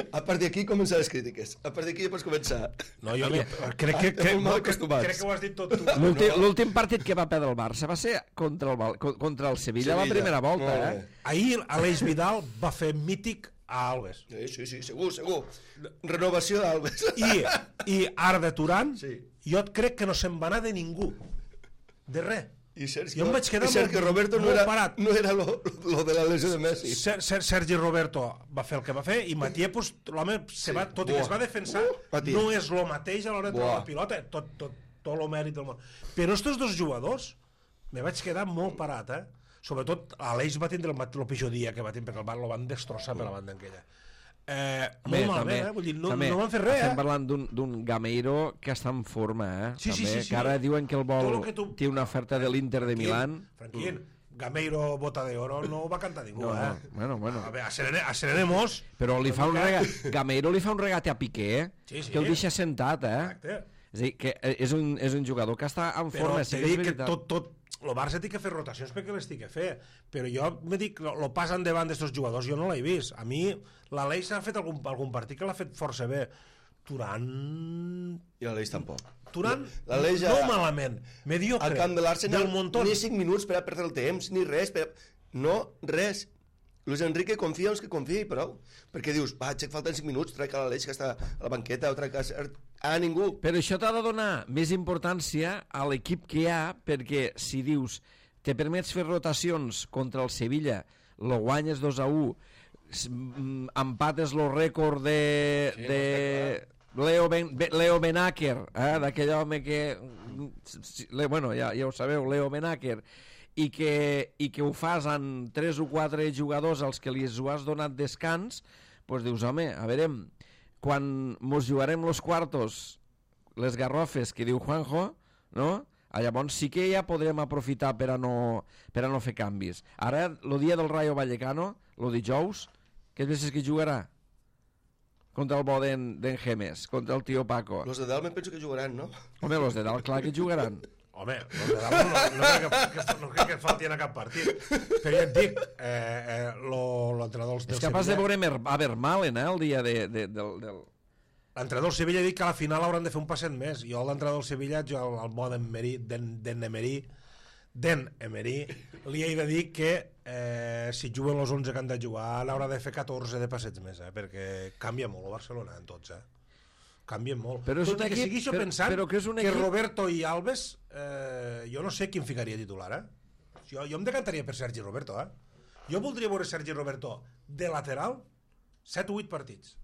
A partir d'aquí començar les crítiques. A partir d'aquí ja pots començar. No, jo crec que ho has dit tot tu. L'últim partit que va perdre el Barça va ser contra el Sevilla la primera volta, Ahir Aleix Vidal va fer mític a Alves. Sí, segur. Renovació d'Alves. I Arda Turan, jo crec que no se'n va anar de ningú. De res. I jo em vaig quedar Sergio Roberto no era lo de la lesió de Messi. Sergi Roberto va fer el que va fer i Mathieu, l'home, tot i que es va defensar, no és el mateix a l'hora de treure la pilota, tot el mèrit del món. Però estos dos jugadors me vaig quedar molt parat, Sobretot Aleix va tindre el pitjor dia que va tindre, perquè el Bar lo van destrossar per la banda aquella. Molt malament, vull dir, no van fer res, Estem parlant d'un Gameiro que està en forma, Sí. que ara diuen que el vol té una oferta de l'Inter de Milán. Franquín, Gameiro bota de oro no ho va cantar ningú, Bueno. A veure, Serenemos... Però Gameiro li fa un regate a Piqué, que el deixa sentat, Exacte. És a dir, que és un jugador que està en forma. Però t'he dit que tot el Barça té que fer rotacions perquè les té que fer, però jo me dic, lo passen davant d'estos jugadors, jo no l'he vist. A mi l'Aleix ha fet algun partit que l'ha fet força bé. Turan... I l'Aleix tampoc. Turan no malament, mediocre. Al camp de l'Arsenal ni 5 minuts per a perdre el temps, ni res. No, res. Luis Enrique confia uns que confia i prou. Perquè dius, falten 5 minuts, trec a l'Aleix que està a la banqueta, o trec a ningú. Però això t'ha de donar més importància a l'equip que hi ha, perquè si dius, te permets fer rotacions contra el Sevilla, lo guanyes 2-1, empates lo rècord de Leo Benaker, d'aquell home que... Bueno, ja ho sabeu, Leo Benaker, i que ho fas amb 3 o 4 jugadors als que li ho has donat descans, doncs dius, home, a veure, quan mos jugarem los quartos, les garrofes que diu Juanjo, no? Llavors sí que ja podrem aprofitar per a no fer canvis. Ara, el dia del Rayo Vallecano, el dijous, què penses que jugarà? Contra el bo d'en Gemes, contra el tio Paco. Los de dalt me penso que jugaran, no? Home, los de dalt, clar que jugaran. Home, no crec que falti a cap partit. Però ja et dic, l'entrenador del Sevilla... És capaç de veure a Vermaelen, el dia del... L'entrenador del Sevilla ha dit que a la final hauran de fer un passet més. Jo l'entrenador del Sevilla, el bo d'en Emery, li he de dir que si juguen els 11 que han de jugar n'haurà de fer 14 de passets més, perquè canvia molt el Barcelona en tots, canvien molt. Però és tot i que segueixo pensant que Roberto i Alves, jo no sé qui em ficaria titular, jo em decantaria per Sergi Roberto, jo voldria veure Sergi Roberto de lateral 7 o 8 partits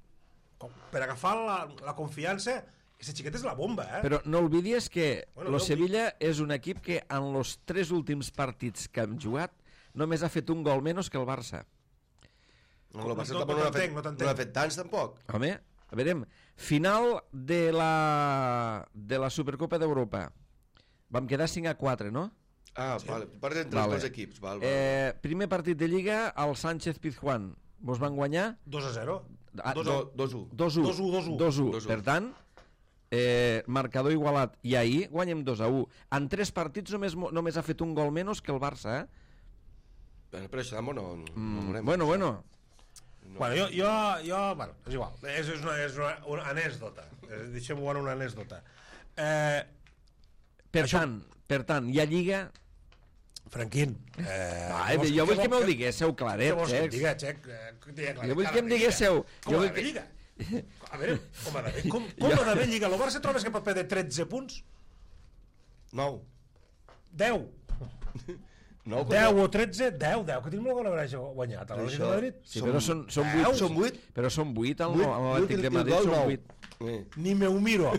per agafar la confiança. Aquesta xiqueta és la bomba, Però no oblidies que el Sevilla és un equip que en els 3 últims partits que han jugat només ha fet un gol menys que el Barça. El Barça tampoc no ha fet tants, tampoc. Home, a veure, final de la Supercopa d'Europa. Vam quedar 5-4, no? Vale. Partit entre els dos equips. Primer partit de Lliga, al Sánchez Pizjuán. Vos van guanyar? 2-0. 2-1. Per tant, marcador igualat. I ahir guanyem 2-1. En 3 partits només ha fet un gol menys que el Barça, Però això no veurem. Bueno. Bueno, jo és igual. És una anècdota. Deixem-ho en una anècdota. Per tant, hi ha Lliga... Franquín, jo vull que me'l diguéssiu claret, Xecs. Jo vull que em diguéssiu... Com ha d'haver Lliga? A veure, com ha d'haver Lliga? El Barça trobes que pot perdre 13 punts? 9. 10. 10 o 13? 10, que tinc molt bona gràcia guanyat a l'Atlètic de Madrid. Sí, però són 8. Però són 8 a l'Atlètic de Madrid, són 8. Ni me ho miro.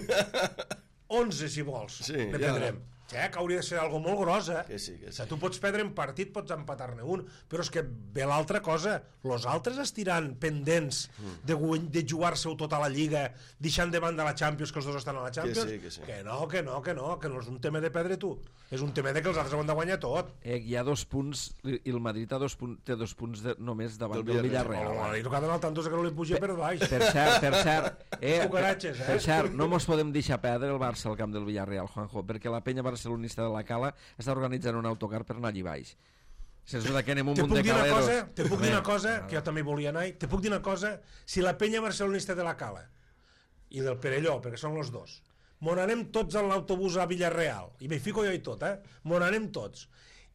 11, si vols. Dependrem. que hauria de ser algo molt gros, Que sí, que sí. O sigui, tu pots perdre en partit, pots empatar-ne un, però és que ve l'altra cosa, los altres estiran pendents de jugar-se-ho tot a la Lliga, deixant de banda la Champions, que els dos estan a la Champions, Que sí. que no és un tema de perdre tu, és un tema de que els altres ho han de guanyar tot. Hi ha 2 punts, i el Madrid té 2 punts només davant del El Villarreal. Madrid que ha d'anar al tanto que no li puja per baix. Per cert, Cucaratges, per cert, no mos podem deixar perdre el Barça al camp del Villarreal, Juanjo, perquè la penya barcelonista de la Cala està organitzant un autocar per anar allí baix. Sens dubte que anem un munt de caleros. Te puc dir una cosa, que jo també volia anar, te puc dir una cosa, si la penya barcelonista de la Cala i del Perelló, perquè són els dos, mon anem tots en l'autobús a Villarreal, i m'hi fico jo i tot, mon anem tots,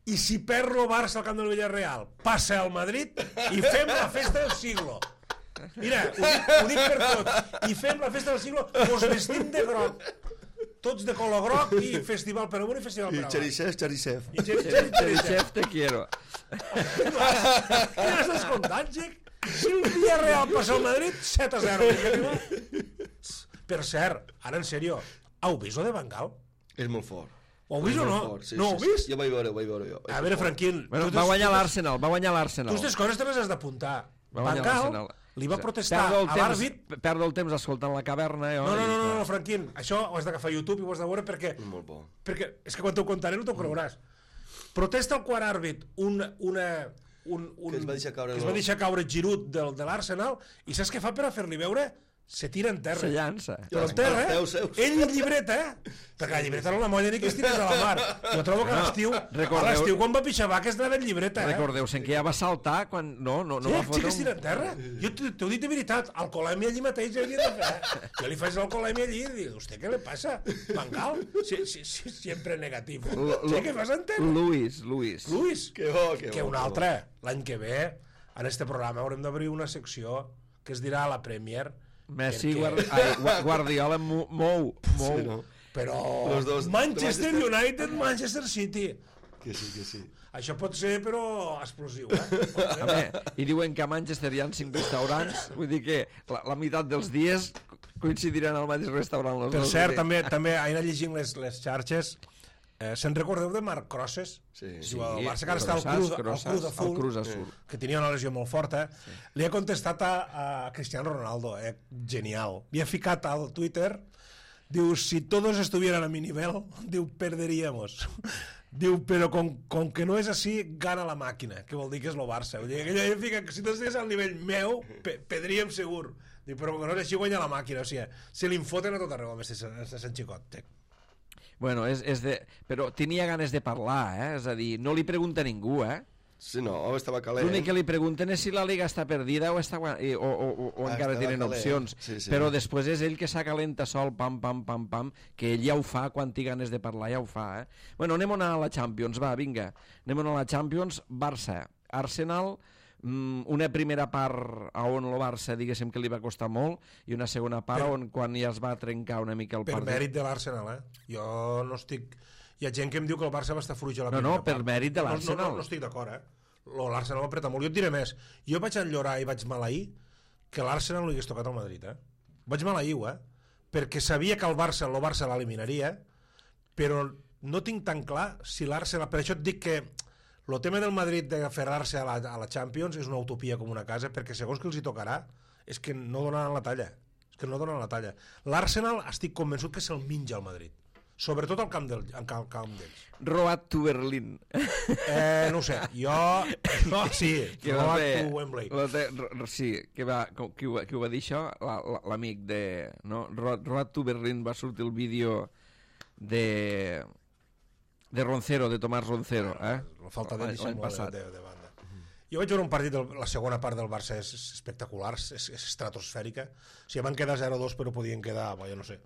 i si perd el Barça al camp del Villarreal, passa al Madrid i fem la festa del siglo. Mira, ho dic per tot, i fem la festa del siglo, mos vestim de groc, tots de color groc, i festival per amunt i festival per avall. Cherisev. I Cherisev. Chef, te quiero. Què estàs contant, Gec? Si el Villarreal passa al Madrid, 7-0. Per cert, ara en sèrio, heu vist lo de Bengal? És molt fort. Ho heu vist o no? No ho heu vist? Jo vaig veure jo. A veure, Franquín... Bueno, va guanyar l'Arsenal. Tu aquestes coses te les has d'apuntar. Va guanyar Bengal l'Arsenal. li va protestar a l'àrbit... Perdo el temps escoltant la caverna. No, Franquín, això ho has d'agafar a YouTube i ho has de veure perquè... Molt bo. Perquè és que quan t'ho contaré no t'ho creuràs. Protesta el quart àrbit que es va deixar caure que es va deixar caure Giroud de l'Arsenal, i saps què fa per a fer-li veure? Se tira en terra. Se llança. Però en terra, ell llibreta, perquè la llibreta no la molla ni que es tirés a la mar. Jo trobo que a l'estiu quan va pixar vaques anava en llibreta. Recordeu-se que ja va saltar quan... No va fotre que es tira en terra. Jo t'ho dic de veritat, alcoholèmia allí mateix hauria de fer. Jo li faig l'alcoholèmia allí i dic, ¿usted què le passa? Bengal? Sempre negatiu. Què fas en terra? Luis. Que un altre, l'any que ve, en este programa haurem d'obrir una secció que es dirà la Premier. Messi, Guardiola mou. Sí, no? Però dos, Manchester United, Manchester City. Que sí. Això pot ser, però explosiu, I diuen que a Manchester hi ha 5 restaurants, vull dir que la meitat dels dies coincidiran al mateix restaurant. Per cert, també he anat llegint les xarxes. Se'n recordeu de Marc Crosses? Sí. El Barça que ara està al Cruz Azul, que tenia una lesió molt forta. Li ha contestat a Cristiano Ronaldo, genial. Li ha ficat al Twitter, diu, si todos estuvieran a mi nivel, diu, perderíamos. Diu, però com que no és així, gana la màquina, que vol dir que és el Barça. Vull dir, que ell fica que si tu estigués al nivell meu, perdríem segur. Diu, però com que no és així, guanya la màquina. O sigui, se li infoten a tot arreu, a Sant Xicot. Bueno, però tenia ganes de parlar, és a dir, no li pregunta ningú, Sí, no, estava calent. L'únic que li pregunten és si la Liga està perdida o encara tenen opcions. Sí. Però després és ell que s'acalenta sol, pam, que ell ja ho fa, quan té ganes de parlar ja ho fa. Bueno, anem a la Champions, va, vinga. Anem a la Champions, Barça, Arsenal, una primera part on el Barça diguéssim que li va costar molt i una segona part on quan ja es va trencar una mica el partit. Per mèrit de l'Arsenal, Jo no estic... Hi ha gent que em diu que el Barça va estar fluix a la primera part. Per mèrit de l'Arsenal. No estic d'acord, L'Arsenal va apretar molt. Jo et diré més. Jo vaig enllorar i vaig maleir que l'Arsenal no li hagués tocat al Madrid, Vaig maleir-ho, perquè sabia que el Barça l'eliminaria, però no tinc tan clar si l'Arsenal... Per això et dic que el tema del Madrid d'aferrar-se a la Champions és una utopia com una casa, perquè segons que els hi tocarà és que no donaran la talla. L'Arsenal estic convençut que se'l menja al Madrid, sobretot al camp d'ells. Road to Berlín. No ho sé, jo sí, Road to Wembley. Sí, qui ho va dir això? L'amic de... Road to Berlín, va sortir el vídeo de Roncero, de Tomàs Roncero, falta de dissimulació de banda. Jo vaig veure un partit, la segona part del Barça és espectacular, és estratosfèrica. O sigui, van quedar 0-2 però podien quedar, jo no sé.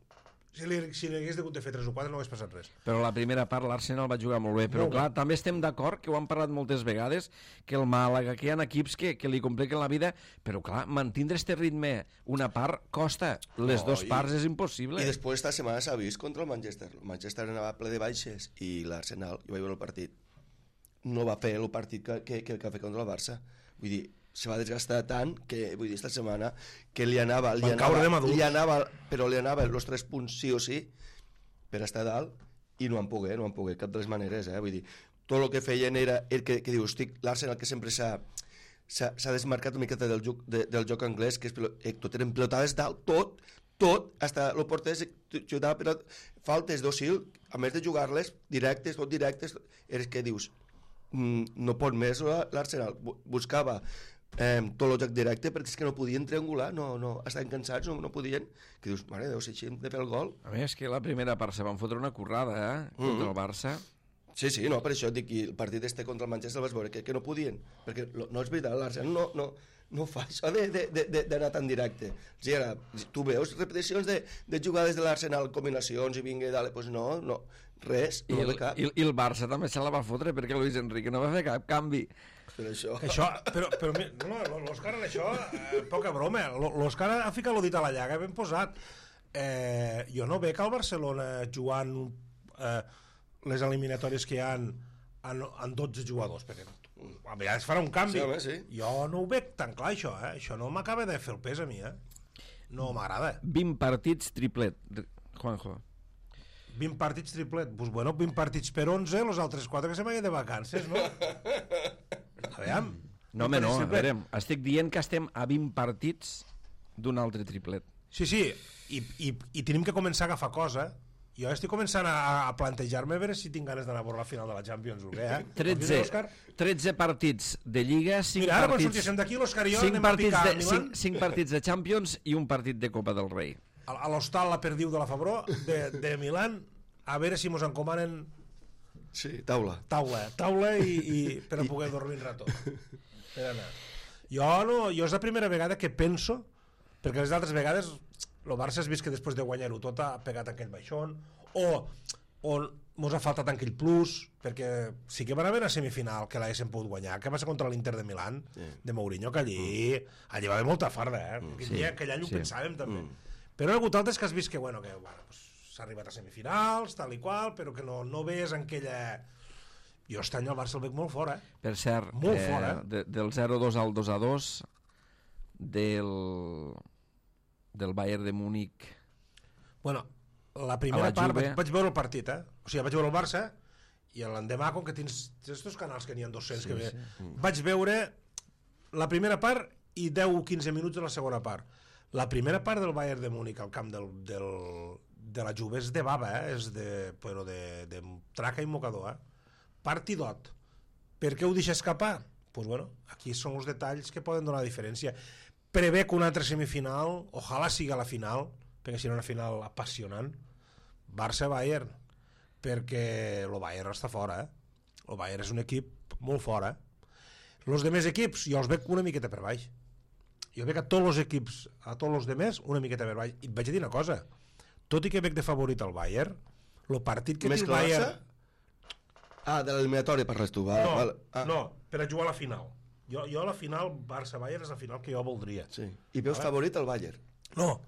Si li hagués hagut de fer 3 o 4 no hagués passat res. Però la primera part l'Arsenal va jugar molt bé, però clar, també estem d'acord, que ho han parlat moltes vegades, que el Màlaga, que hi ha equips que li compliquen la vida, però clar, mantindre este ritme una part costa, les dues parts és impossible. I després esta setmana s'ha vist contra el Manchester. El Manchester anava ple de baixes i l'Arsenal, jo vaig veure el partit, no va fer el partit que va fer contra el Barça. Vull dir, se va desgastar tant que, vull dir, esta setmana que li anava però li anava els 3 punts sí o sí per estar dalt i no han pogut, cap de les maneres, vull dir, tot el que feien era el que dius, l'Arsenal que sempre s'ha desmarcat una miqueta del joc anglès, que tot eren pilotades dalt, tot, hasta el porter xutava pilot, faltes d'Osil, a més de jugar-les directes, és que dius, no pot més l'Arsenal, buscava tot el joc directe perquè és que no podien triangular, no estaven cansats, no podien, que dius, mare de Déu, si hem de fer el gol. A més, que la primera part se van fotre una currada, contra el Barça. Sí, no, per això dic que el partit contra el Manchester el vas veure, que no podien, perquè no és veritat, l'Arsenal no fa això d'anar tan directe. O sigui, tu veus repeticions de jugades de l'Arsenal, combinacions i vinga, doncs no, res, no de cap. I el Barça també se la va fotre perquè Luis Enrique no va fer cap canvi. Per això... Però l'Òscar en això, poca broma, l'Òscar ha ficat el dit a la llaga ben posat. Jo no veig al Barcelona jugant les eliminatòries que hi ha en 12 jugadors, perquè a vegades farà un canvi. Sí. Jo no ho veig tan clar, això. Això no m'acaba de fer el pes a mi. No m'agrada. 20 partits triplet, Juanjo. 20 partits triplet. Pues bueno, 20 partits per 11, els altres 4 que se vagin de vacances, no? Aviam. No, home, no, a veure, estic dient que estem a 20 partits d'un altre triplet. Sí, i tenim que començar a agafar cosa. Jo estic començant a plantejar-me a veure si tinc ganes d'anar a veure la final de la Champions o què, 13 partits de Lliga, 5 Mira, ara quan partits... sortíssim d'aquí, l'Òscar i jo anem a picar a Milan. 5 partits de Champions i un partit de Copa del Rei. A l'hostal La Perdiu de la Febró, de Milan, a veure si mos encomanen... Sí, taula i per a poder dormir un rato. Per anar. Jo és la primera vegada que penso, perquè les altres vegades el Barça has vist que després de guanyar-ho tot ha pegat aquell baixón, o mos ha faltat aquell plus, perquè sí que van haver una semifinal que l'haguéssim pogut guanyar, que va ser contra l'Inter de Milán, de Mourinho, que allí va haver molta farda, aquell any ho pensàvem també. Però hi ha hagut altres que has vist que s'ha arribat a semifinals, tal i qual, però que no ves en aquella... Jo aquest any el Barça el veig molt fora. Per cert, molt fora. Del 0-2 al 2-2 del Bayern de Múnich. Bueno, la primera part vaig veure el partit, o sigui, vaig veure el Barça i l'endemà, com que tens estos canals que n'hi ha 200 que ve, vaig veure la primera part i 10-15 minuts de la segona part. La primera part del Bayern de Múnich al camp de la Juve és de bava, és de traca i mocador, partidot. Per què ho deixa escapar? Doncs bueno, aquí són els detalls que poden donar diferència. Prevé que una altra semifinal, ojalà sigui la final, perquè serà una final apassionant, Barça-Bayern, perquè el Bayern està fora, el Bayern és un equip molt fora. Els demés equips jo els veig una miqueta per baix. Jo veig a tots els equips, a tots els demés, una miqueta per baix. I et vaig a dir una cosa, tot i que veig de favorit el Bayern, el partit que té el Bayern... de l'eliminatori parles tu, no, per a jugar a la final. Jo a la final, Barça-Bayern és la final que jo voldria. Sí. I veus favorit el Bayern? No.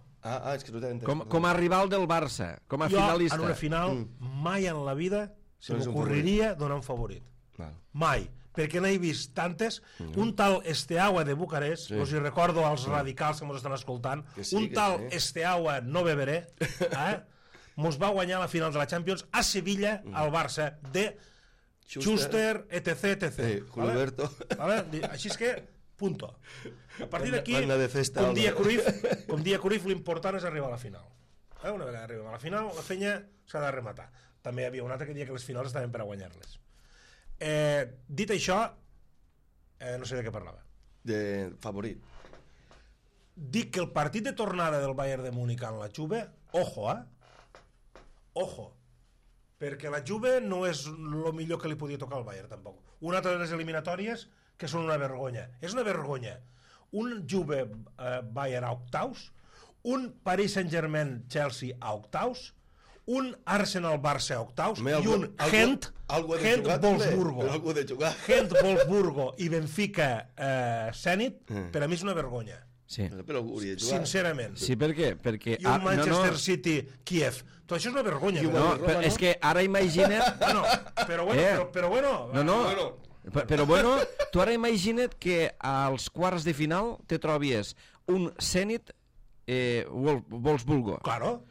És que no t'he entès. Com a rival del Barça, com a finalista. Jo, en una final, mai en la vida se m'ocorreria donar un favorit. Mai. Perquè n'he vist tantes. Un tal Esteaua de Bucarest, us hi recordo als radicals que ens estan escoltant, un tal Esteaua no beberé, mos va guanyar la final de la Champions a Sevilla, al Barça, de Schuster, etc. Gilberto. Així és que, punto. A partir d'aquí, com dia Cruyff, l'important és arribar a la final. Una vegada arribem a la final, la fenya s'ha de rematar. També hi havia un altre que deia que les finals estaven per a guanyar-les. Dit això, no sé de què parlava. De favorit. Dic que el partit de tornada del Bayern de Múnich en la Juve, ojo, perquè la Juve no és el millor que li podia tocar al Bayern tampoc. Una altra de les eliminatòries que són una vergonya. És una vergonya. Un Juve Bayern a octaus, un Paris Saint-Germain-Chelsea a octaus, un Arsenal-Barça a octaus i un Gent-Wolfsburgo i Benfica-Zenit, per a mi és una vergonya. Sí. Sincerament. Sí, per què? Perquè, i un Manchester City-Kiev. Tot això és una vergonya. És que ara imagina't... Però bueno... Però bueno, tu ara imagina't que als quarts de final te trobies un Zenit Wolfsburgo. Claro.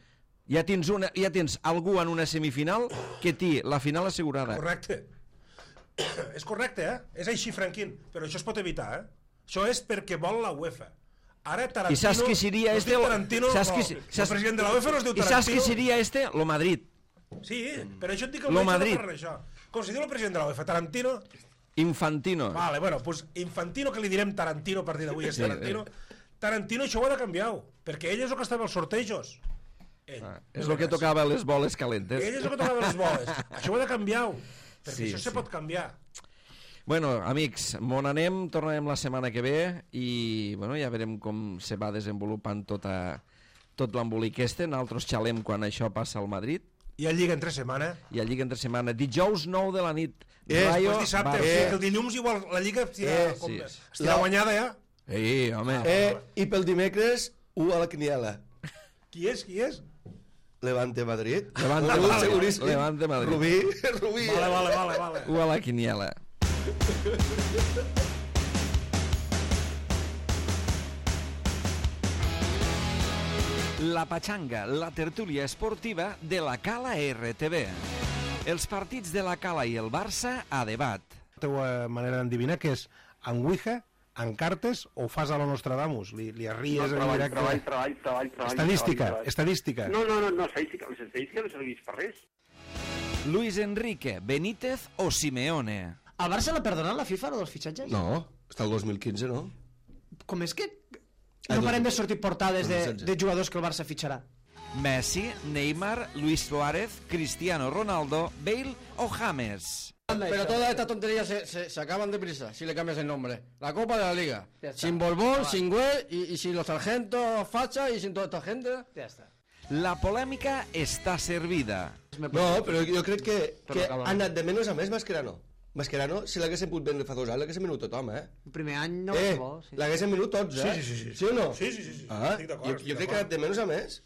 Ja tens algú en una semifinal que té la final assegurada. Correcte. És correcte, És així, Franquín. Però això es pot evitar, Això és perquè vol la UEFA. Ara Tarantino... I saps qui seria este? Tarantino, el president de la UEFA no es diu Tarantino. I saps qui seria este? Lo Madrid. Sí, però això et dic que el Madrid. Com se diu el president de la UEFA? Tarantino? Infantino. Vale, bueno, pues Infantino, que li direm Tarantino a partir d'avui, és Tarantino. Tarantino això ho ha de canviar, perquè ell és el que estava als sortejos. És el que tocava les boles calentes. Ell és el que tocava les boles. Això ho ha de canviar, perquè això se pot canviar. Bueno, amics, m'on anem, tornarem la setmana que ve i bueno, ja veurem com se va desenvolupant tot l'embolic este. Nosaltres xalem quan això passa al Madrid. I a Lliga entre setmana. Dijous 9 de la nit. Després dissabte, el dilluns igual la Lliga estirà guanyada ja. Home. I pel dimecres, 1 a la quiniela. Qui és? Levante Madrid. Levante Madrid. Rubí. Vale. 1 a la quiniela. La Pachanga, la tertúlia esportiva de la Cala RTV. Els partits de la Cala i el Barça a debat. La teva manera d'endevinar que és en Ouija, en cartes o fas a la Nostradamus? Li arries en directe? Treball. Estadística. No, estadística. Les estadístiques no serveix per res. Luis Enrique, Benítez o Simeone? Al Barça l'ha perdonat la FIFA, lo dels fitxatges? No, està el 2015, no? Com és que no parem de sortir portades de jugadors que el Barça fitxarà? Messi, Neymar, Luis Suárez, Cristiano Ronaldo, Bale o James. Pero todas estas tonterías se acaban deprisa si le cambias el nombre. La Copa de la Liga. Sin Borbón, sin Güell y sin los sargentos Facha y sin toda esta gente. Ja està. La polèmica està servida. No, però jo crec que ha anat de menys a més Mascherano. Mascherano, si l'haguessin pogut vendre fa 2 anys, l'haguessin venut tothom, El primer any no va ser bo. L'haguessin venut tots, Sí. Sí o no? Sí. Jo crec que ha anat de menys a més.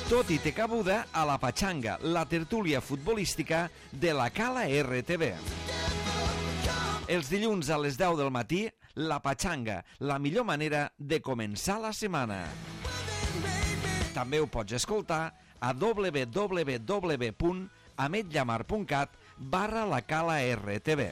Tot i té cabuda a la Pachanga, la tertúlia futbolística de la Cala RTV. Els dilluns a les 10 del matí, la Pachanga, la millor manera de començar la setmana. També ho pots escoltar a www.ametllamar.cat/la Cala RTV.